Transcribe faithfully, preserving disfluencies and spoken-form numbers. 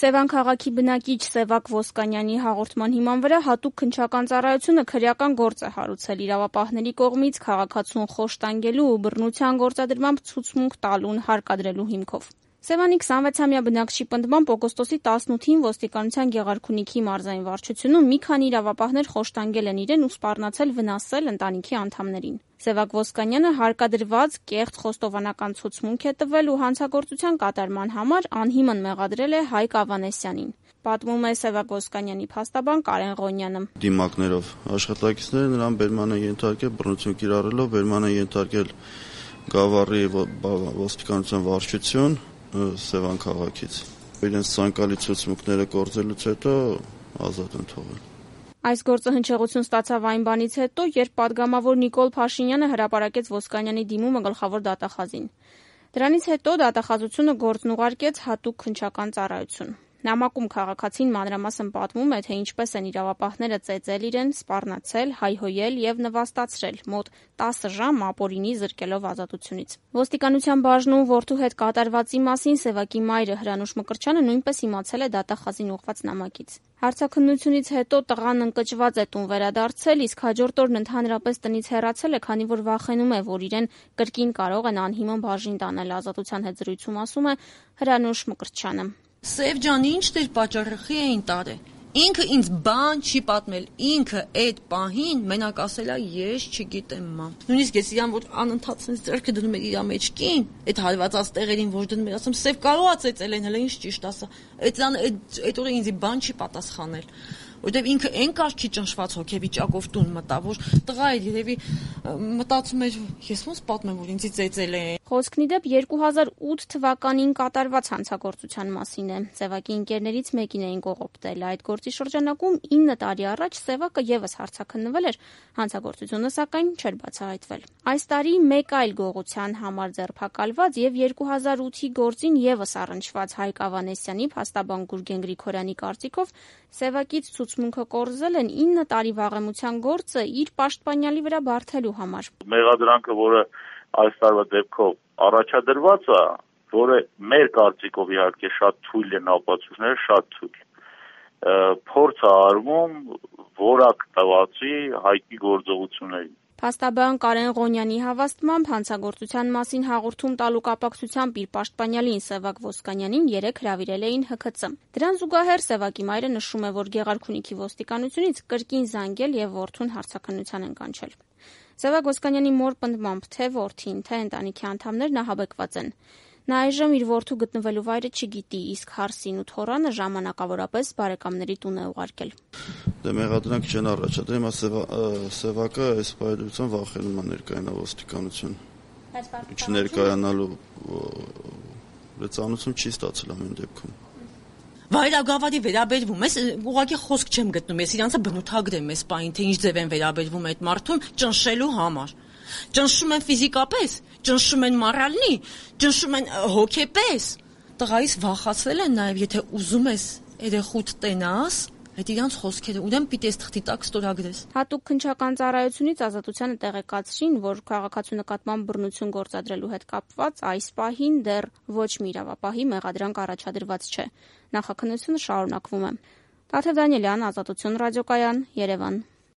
Սևան քաղաքի բնակիչ Սևակ Ոսկանյանի հաղորդման հիման վրա հատուկ քննչական ծառայությունը քրեական գործ է հարուցել իրավապահների կողմից քաղաքացուն խոշտանգելու ու բռնության գործադրմամբ ցուցմունք տալուն հարկադրելու հիմքով։ Սևանի քսանվեցամյա բնակչի պնդմամբ օգոստոսի տասնութին ոստիկանության Գեղարքունիքի մարզային վարչությունում մի քանի իրավապահներ խոշտանգել են իրեն ու սպառնացել վնասել ընտանիքի անդամներին։ Սևակ Ոսկանյանը հարկադրված կեղծ խոստովանական ցուցմունք է տվել ու հանցագործության կատարման համար անհիմն մեղադրել է Հայկ Ավանեսյանին։ Պատմում է Սևակ Ոսկանյանի փաստաբան Կարեն Ղոնյանը։ Դիմակներով աշխատակիցները նրան բերման են ենթարկել, բռնություն կիրառելով բերման են ենթարկել Գավառի ոստիկանության վարչություն Սևան քաղաքից։ Իրենց ցանկալի ցուցմունքները կորցրելուց հետո ազատ են թողել։ Այս գործը հնչեղություն ստացավ այն բանից հետո, երբ պատգամավոր Նիկոլ Փաշինյանը հրապարակեց Ոսկանյանի դիմումը գլխավոր դատախազին։ Դրանից հետո դատախազությունը գործն ուղարկեց հատուկ քննչական ծառայություն։ Նամակում քաղաքացին մանրամասն պատմում է, թե ինչպես են իրավապահները ծեծել իրեն, սպառնացել, հայհոյել եւ նվաստացրել մոտ տասը ժամ ապօրինի զրկելով ազատությունից։ Ոստիկանության բաժնում որդու հետ կատարվածի մասին Սևակի մայրը Հրանուշ Մկրտչյանը նույնպես իմացել է դատախազին ուղղված նամակից։ Հարցաքննությունից հետո տղան ընկճված է տուն վերադարձել, իսկ հաջորդ օրն ընդհանրապես տնից հեռացել է, քանի որ վախենում է, որ իրեն կրկին կարող են անհիմն բաժին տանել։ Ազատության հետ զրույցում ասում է Հրանուշ Մկրտչյանը։ Սև ջան, ինչ դեր պատճառախի էին տարե։ Ինքը ինձ բան չի պատմել, ինքը այդ պահին մենակ ասելա ես չգիտեմ մամ։ Նույնիսկ ես իրան որ անընդհատ sense ձեռքը դնում էր իր մեջքին, այդ հարվածած տեղերին որ դնում էր, ասում Սև կարող է ծեծել են, հələ ինչ ճիշտ ասա։ Այդան այդ այդ օրը ինձ բան չի պատասխանել։ Որտեւ ինքը այն կարգի ճնշված հոգեվիճակով տուն մտա, որ տղա էր երևի մտածում էր ես ոնց պատմեմ, որ ինձ ծեծել են։ Խոսքն ի դեպ երկու հազար ութ թվականին կատարված հանցագործության մասին է։ Սևակի ընկերներից մեկին էին կողոպտել։ Այդ գործի շրջանակում ինը տարի առաջ Սևակը եւս հարցաքննվել էր, հանցագործությունը սակայն չէր բացահայտվել։ Այս տարի մեկ այլ գողության համար ձերբակալված եւ երկու հազար ութի գործին եւս առնչված Հայկ Ավանեսյանի փաստաբան Գուրգեն Գրիգորյանի կարծիքով Սևակից ցուցմունքը կորզել են ինը տարի վաղեմության գործը իր պաշտպանյալի վրա բարթելու համար։ Մեղադրանքը, որը այս տարվա դեպքով առաջադրված է, որը մեր կարծիքով իհարկե շատ թույլ են ապացույցները, շատ թույլ։ Փորձ է արվում որակ տվածի Հայկի գործողություններին։ Փաստաբան Կարեն Ղոնյանի հավաստմամբ հանցագործության մասին հաղորդում տալու կապակցությամբ իր պաշտպանյալին Սևակ Ոսկանյանին երեկ հրավիրել էին Հ K C։ Դրան զուգահեռ Սևակի մայրը նշում է, որ Գեղարքունիքի ոստիկանությունից կրկին զանգել եւ որդուն հարցաքննության են կանչել։ Սևակ Ոսկանյանի մոր պնդմամբ թե որդին, թե ընտանիքի անդամներն ահաբեկված են։ Նա այժմ իր որդու գտնվելու վայրը չգիտի, իսկ հարսին ու թոռանը ժամանակավորապես բարեկամների տուն է ուղարկել։ Դե մեղադրանք չեն առաջադրել, հիմա Սևակը այս պայմանությամբ վախենում է ներկայանալ ոստիկանություն։ Չներկայանալու լծանություն չի ստացել ամեն դեպքում։ Վայրագավառի վերաբերվում ես, ուղղակի խոսք չեմ գտնում, ես իրանցը բնութագրեմ այս պահին, թե ինչ ձև են վերաբերվում այդ մարդուն ճնշելու համար։ Ճնշում են ֆիզիկապես, ճնշում են մորալնի, ճնշում են հոգեպես։ Տղայիս վախացվել են նաև, եթե ուզում ես երեխուդ տենաս, այդ իրանց խոսքերը ուրեմն պիտի ես թղթի տակ ստորագրես։ Հատուկ քննչական ծառայությունից ազատությանը տեղեկացրին, որ քաղաքացու նկատմամբ բռնություն գործադրելու հետ կապված այս պահին դեռ ոչ մի իրավապահի մեղադրանք առաջադրված չէ։ Նախաքննությունը շարունակվում է։ Տաթև Դանիելյան, Ազատություն ռադիոկայան, Երևան։